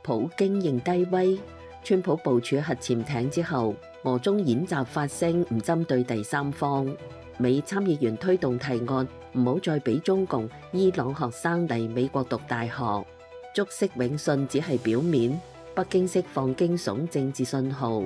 普京認低威，川普部署核潛艇之後，俄中演習發聲唔針對第三方。美參議員推動提案，唔好再俾中共、伊朗學生嚟美國讀大學。竹式永信只係表面，北京釋放驚悚政治信號。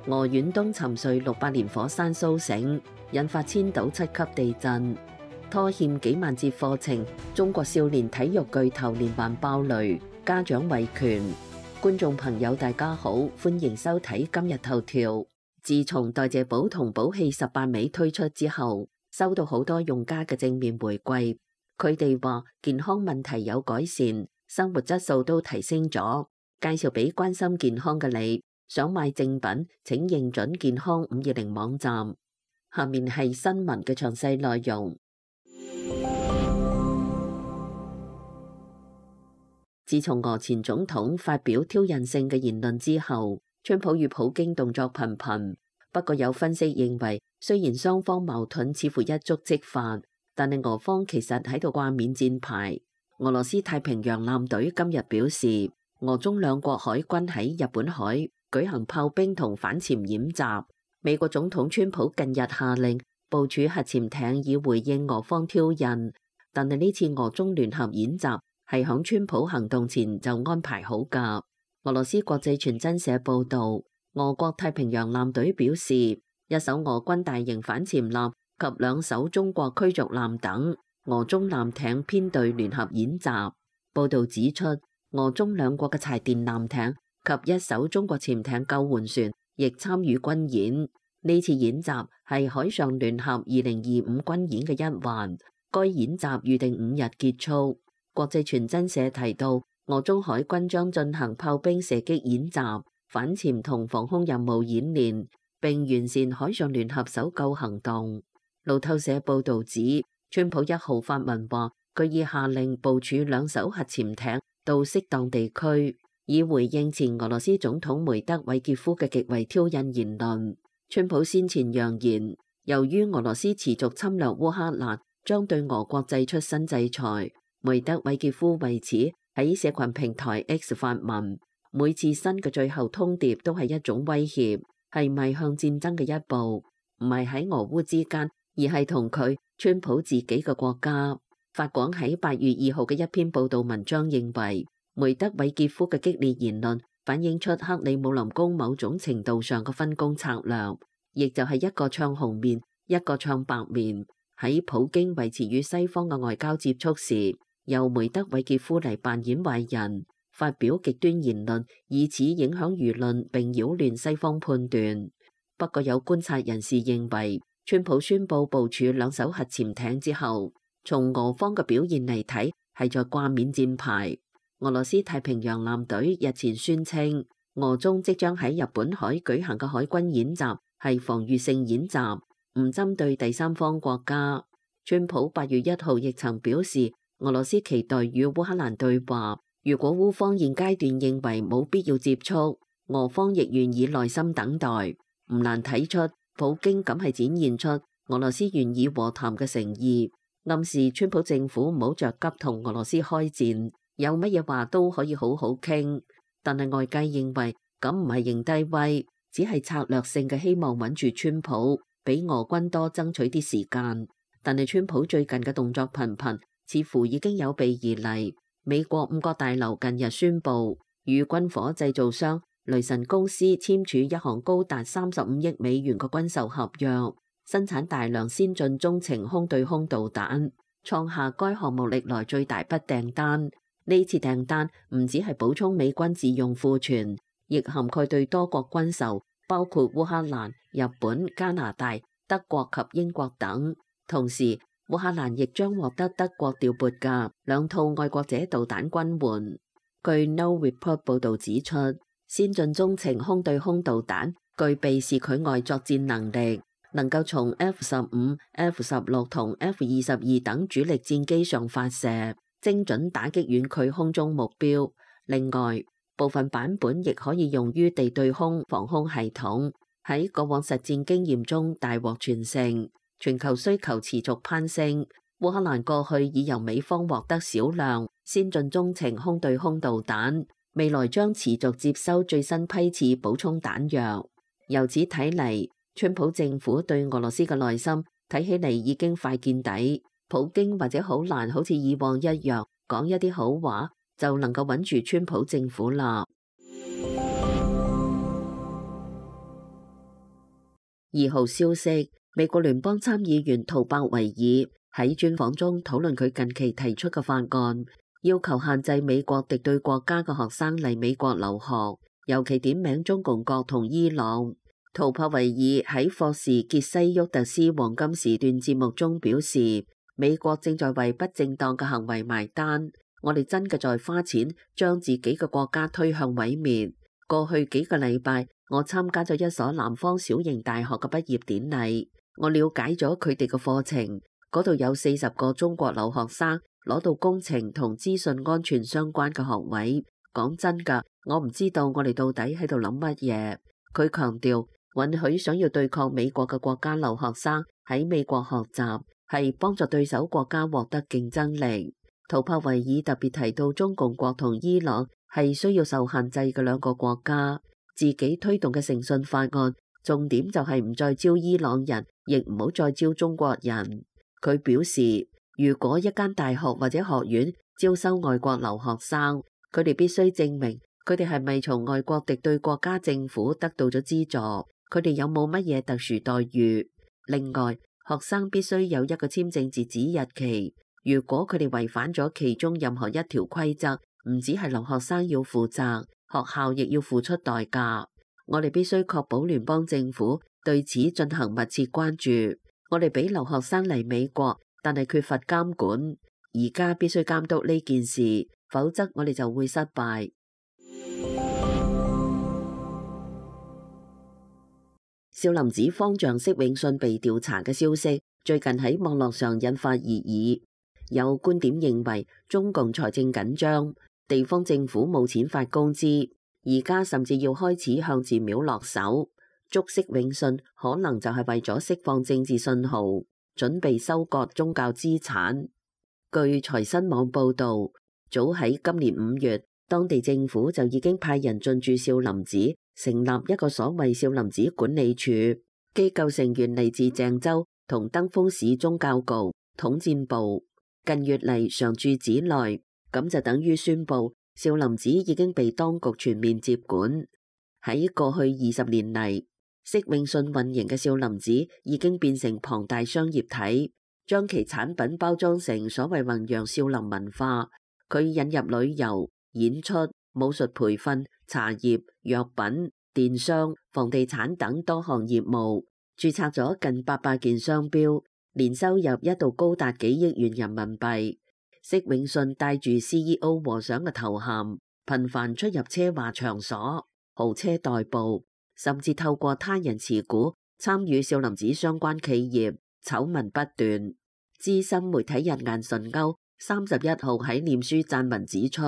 俄遠東沉睡600年火山蘇醒，引發千島7級地震。拖欠幾萬節課程，中國少年體育巨頭連環爆雷，家長維權。觀眾朋友大家好，歡迎收睇今日頭條。自從代謝寶同寶氣18味推出之後，收到好多用家嘅正面回饋。佢哋話健康問題有改善，生活質素都提升咗。介紹俾關心健康嘅你，想買正品請認準健康520網站。下面係新聞嘅詳細內容。自從俄前總統發表挑釁性嘅言論之後，川普與普京動作頻頻。不過有分析認為，雖然雙方矛盾似乎一觸即發，但係俄方其實喺度掛免戰牌。俄羅斯太平洋艦隊今日表示，俄中兩國海軍喺日本海舉行炮兵同反潛演習。美國總統川普近日下令部署核潛艇以回應俄方挑釁，但係呢次俄中聯合演習係響川普行動前就安排好㗎。俄羅斯國際傳真社報導，俄國太平洋艦隊表示，一艘俄軍大型反潛艦及2艘中國驅逐艦等俄中艦艇編隊聯合演習。報導指出，俄中兩國嘅柴電艦艇及一艘中國潛艇救援船亦參與軍演。呢次演習係海上聯合2025軍演嘅一環，該演習預定5日結束。國際傳真社提到，俄中海軍將進行炮兵射擊演習、反潛同防空任務演練，並完善海上聯合搜救行動。路透社報導指，川普1號發文話，佢已下令部署2艘核潛艇到適當地區，以回應前俄羅斯總統梅德韋傑夫嘅極為挑釁言論。川普先前揚言，由於俄羅斯持續侵略烏克蘭，將對俄國祭出新制裁。梅德韋傑夫為此喺社群平台 X 發文，每次新嘅最後通牒都係一種威脅，係邁向戰爭嘅一步，唔係喺俄烏之間，而係同佢川普自己嘅國家。法廣喺8月2號嘅一篇報道文章認為，梅德韋傑夫嘅激烈言論反映出克里姆林宮某種程度上嘅分工策略，亦就係一個唱紅面，一個唱白面。喺普京維持與西方嘅外交接觸時，由梅德韋傑夫嚟扮演壞人，發表極端言論，以此影響輿論並擾亂西方判斷。不過有觀察人士認為，川普宣布部署2艘核潛艇之後，從俄方嘅表現嚟睇，係在掛免戰牌。俄羅斯太平洋艦隊日前宣稱，俄中即將喺日本海舉行嘅海軍演習係防禦性演習，唔針對第三方國家。川普8月1號亦曾表示，俄羅斯期待與烏克蘭對話，如果烏方現階段認為冇必要接觸，俄方亦願意耐心等待。唔難睇出，普京咁係展現出俄羅斯願意和談嘅誠意，暗示川普政府唔好着急同俄羅斯開戰，有乜嘢話都可以好好傾。但係外界認為咁唔係認低威，只係策略性嘅希望穩住川普，俾俄軍多爭取啲時間。但係川普最近嘅動作頻頻，似乎已經有備而嚟。美國5角大樓近日宣布，與軍火製造商雷神公司簽署一項高達35億美元嘅軍售合約，生產大量先進中程空對空導彈，創下該項目歷來最大筆訂單。呢次訂單唔只係補充美軍自用庫存，亦涵蓋對多國軍售，包括烏克蘭、日本、加拿大、德國及英國等。同時，烏克蘭亦將獲得德國調撥嘅2套愛國者導彈軍援。據 No Report 報導指出，先進中程空對空導彈具備視距外作戰能力，能夠從 F-15、F-16 同 F-22等主力戰機上發射，精準打擊遠距空中目標。另外，部分版本亦可以用於地對空防空系統，喺過往實戰經驗中大獲全勝。全球需求持續攀升，烏克蘭過去已由美方獲得少量先進中程空對空導彈，未來將持續接收最新批次補充彈藥。由此睇嚟，川普政府對俄羅斯嘅耐心睇起嚟已經快見底，普京或者好難好似以往一樣講一啲好話就能夠穩住川普政府啦。2號消息，美國聯邦參議員圖伯維爾喺專訪中討論佢近期提出嘅法案，要求限制美國敵對國家嘅學生嚟美國留學，尤其點名中共國同伊朗。圖伯維爾喺霍士傑西沃特斯黃金時段節目中表示，美國正在為不正當嘅行為埋單，我哋真嘅在花錢將自己嘅國家推向毀滅。過去幾個禮拜，我參加咗一所南方小型大學嘅畢業典禮，我了解咗佢哋嘅課程，嗰度有40個中國留學生攞到工程同資訊安全相關嘅學位。講真㗎，我唔知道我哋到底喺度諗乜嘢。佢強調，允許想要對抗美國嘅國家留學生喺美國學習，係幫助對手國家獲得競爭力。圖伯維爾特別提到中共國同伊朗係需要受限制嘅兩個國家，自己推動嘅誠信法案重點就係唔再招伊朗人，亦唔好再招中國人。佢表示，如果一間大學或者學院招收外國留學生，佢哋必須證明佢哋係咪從外國敵對國家政府得到咗資助，佢哋有冇乜嘢特殊待遇。另外，學生必須有一個簽證截止日期。如果佢哋違反咗其中任何一條規則，唔止係留學生要負責，學校亦要付出代價。我哋必須確保聯邦政府對此進行密切關注。我哋俾留學生嚟美國，但係缺乏監管。而家必須監督呢件事，否則我哋就會失敗。少林寺方丈釋永信被調查嘅消息，最近喺網絡上引發熱議。有觀點認為，中共財政緊張，地方政府冇錢發工資，而家甚至要開始向寺廟落手。捉釋永信可能就係為咗釋放政治信號，準備收割宗教資產。據財新網報導，早喺今年5月，當地政府就已經派人進駐少林寺，成立一個所謂少林寺管理處，機構成員嚟自鄭州同登封市宗教局、統戰部。近月嚟常駐寺內，咁就等於宣布少林寺已經被當局全面接管。喺過去20年嚟，釋永信運營嘅少林寺已經變成龐大商業體，將其產品包裝成所謂弘揚少林文化。佢引入旅遊、演出、武術培訓、茶葉、藥品、電商、房地產等多項業務，註冊咗近800件商標。年收入一度高達幾億元人民幣。釋永信帶住 CEO 和尚嘅頭銜，頻繁出入奢華場所、豪車代步，甚至透過他人持股參與少林寺相關企業，醜聞不斷。資深媒體人顏純鈎31號喺臉書撰文指出，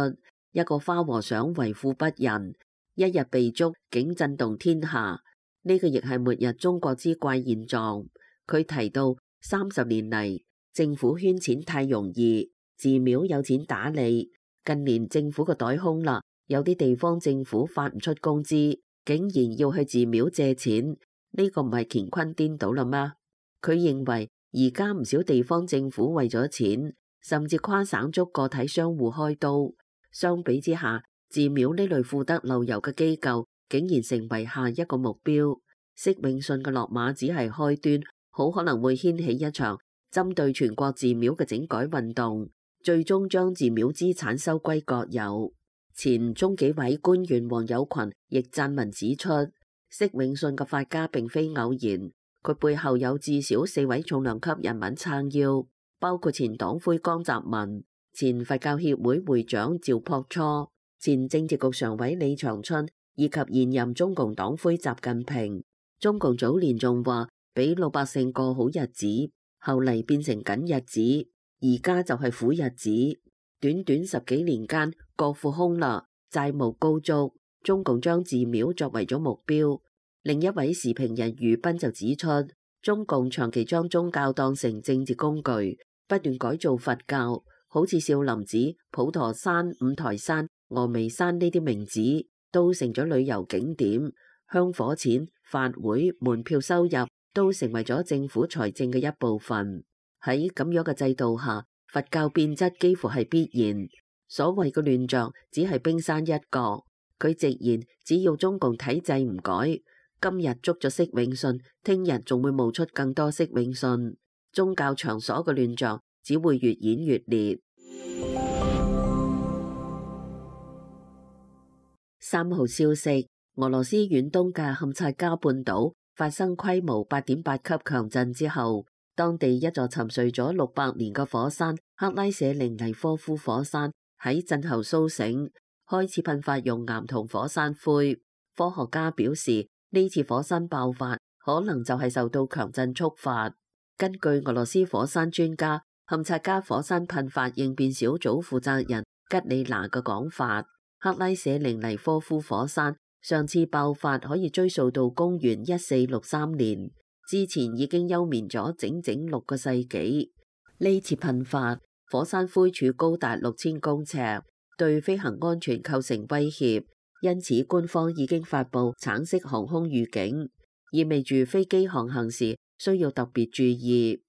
一個花和尚為富不仁，一日被捉竟震動天下。呢個亦係末日中國之怪現狀。佢提到30年嚟，政府圈錢太容易，寺廟有錢打理。近年政府個袋空啦，有啲地方政府發唔出工資，竟然要去寺廟借錢，呢個唔係乾坤顛倒啦嗎？佢認為而家唔少地方政府為咗錢，甚至跨省捉個體商戶開刀。相比之下，寺廟呢類富得流油嘅機構，竟然成為下一個目標。釋永信嘅落馬只係開端，好可能會掀起一場針對全國寺廟嘅整改運動，最終將寺廟資產收歸國有。前中紀委官員黃有群亦撰文指出，釋永信嘅發家並非偶然，佢背後有至少4位重量級人物撐腰，包括前黨魁江澤民、前佛教協會會長趙樸初、前政治局常委李長春以及現任中共黨魁習近平。中共早年仲話俾老百姓過好日子，後嚟變成緊日子，而家就係苦日子。短短10幾年間，國庫空啦，債務高築，中共將寺廟作為咗目標。另一位時評人余斌就指出，中共長期將宗教當成政治工具，不斷改造佛教，好似少林寺、普陀山、五台山峨眉山呢啲名字都成咗旅遊景點，香火錢、法會、門票收入都成為咗政府財政嘅一部分。喺咁樣嘅制度下，佛教變質幾乎係必然。所謂嘅亂象只係冰山一角。佢直言，只要中共體制唔改，今日捉咗釋永信，聽日仲會冒出更多釋永信。宗教場所嘅亂象只會越演越烈。3號消息，俄羅斯遠東嘅堪察加半島發生規模8.8級強震之後，當地一座沉睡咗600年嘅火山克拉舍寧尼科夫火山喺震後蘇醒，開始噴發熔岩同火山灰。科學家表示，呢次火山爆發可能就係受到強震觸發。根據俄羅斯火山專家、堪察加火山噴發應變小組負責人吉里娜嘅講法，克拉舍寧尼科夫火山上次爆發可以追溯到公元1463年，之前已經休眠咗整整6個世紀。呢次噴發，火山灰柱高達6000公尺，對飛行安全構成威脅，因此官方已經發布橙色航空預警，意味住飛機航行時需要特別注意。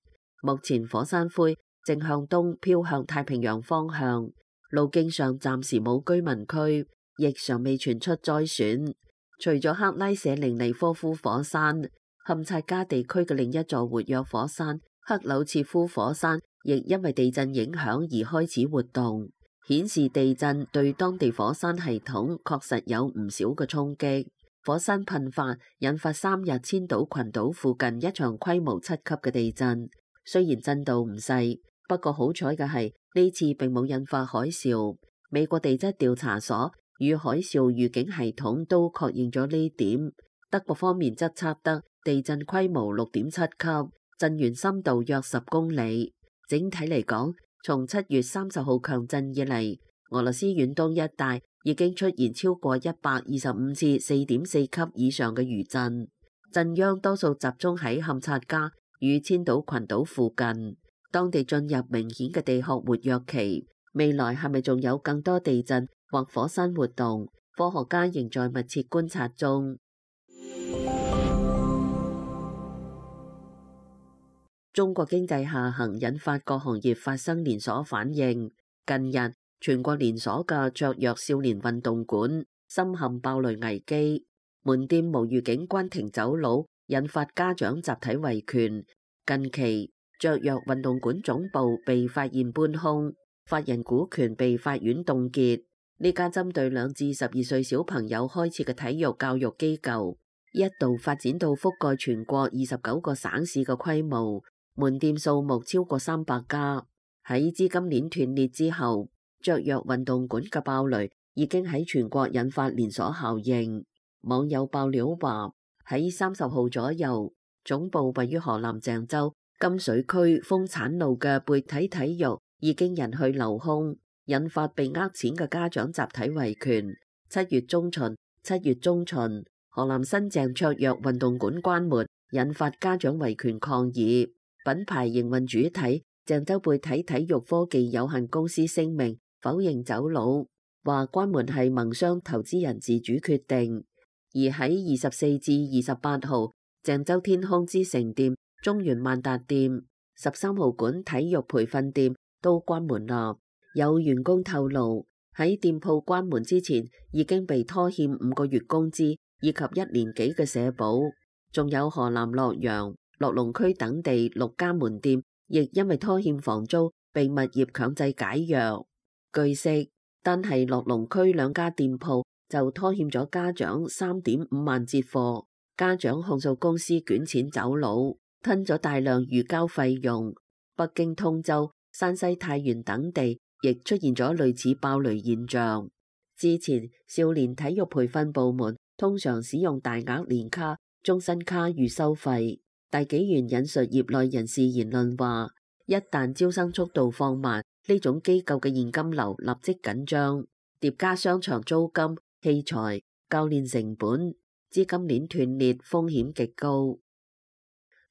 目前火山灰正向東飄向太平洋方向，路徑上暫時冇居民區，亦尚未傳出災損。除咗克拉舍寧尼科夫火山，堪察加地區嘅另一座活躍火山克柳切夫火山亦因為地震影響而開始活動，顯示地震對當地火山系統確實有唔少嘅衝擊。火山噴發引發3日千島群島附近一場規模7級嘅地震，雖然震度唔細，不過好彩嘅係呢次並冇引發海嘯。美國地質調查所與海嘯預警系統都確認咗呢點。德國方面則測得地震規模6.7級，震源深度約10公里。整體嚟講，從7月30號強震以嚟，俄羅斯遠東一帶已經出現超過125次4.4級以上嘅餘震，震央多數集中喺堪察加與千島群島附近，當地進入明顯嘅地殼活躍期。未來係咪仲有更多地震或火山活動？科學家仍在密切觀察中。中國經濟下行引發各行業發生連鎖反應。近日，全國連鎖嘅雀躍少年運動館深陷爆雷危機，門店無預警關停走佬，引發家長集體維權。近期，雀躍運動館總部被發現搬空，法人股權被法院凍結。呢家針對2至12歲小朋友開設嘅體育教育機構，一度發展到覆蓋全國29個省市嘅規模，門店數目超過300家。喺資金鏈斷裂之後，雀躍運動館嘅爆雷已經喺全國引發連鎖效應。網友爆料話，喺30號左右，總部位於河南鄭州金水區豐產路嘅貝體體育已經人去樓空，引發被呃錢嘅家長集體維權。7月中旬，河南新鄭雀躍運動館關門，引發家長維權抗議。品牌營運主體鄭州貝體體育科技有限公司聲明否認走佬，話關門係盟商投資人自主決定。而喺24至28號，鄭州天空之城店、中原萬達店、13號館體育培訓店都關門啦。有員工透露，喺店鋪關門之前已經被拖欠5個月工資以及1年幾嘅社保。仲有河南洛陽、樂龍區等地6家門店亦因為拖欠房租被物業強制解約。據悉，單係樂龍區2家店鋪就拖欠咗家長3.5萬節貨，家長控訴公司捲錢走佬，吞咗大量預交費用。北京通州、山西太原等地亦出現咗類似爆雷現象。之前少年體育培訓部門通常使用大額年卡、終身卡預收費。大紀元引述業內人士言論話，一旦招生速度放慢，呢種機構嘅現金流立即緊張，疊加商場租金、器材、教練成本，資金鏈斷裂風險極高。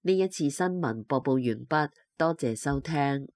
呢一次新聞播報完畢，多謝收聽。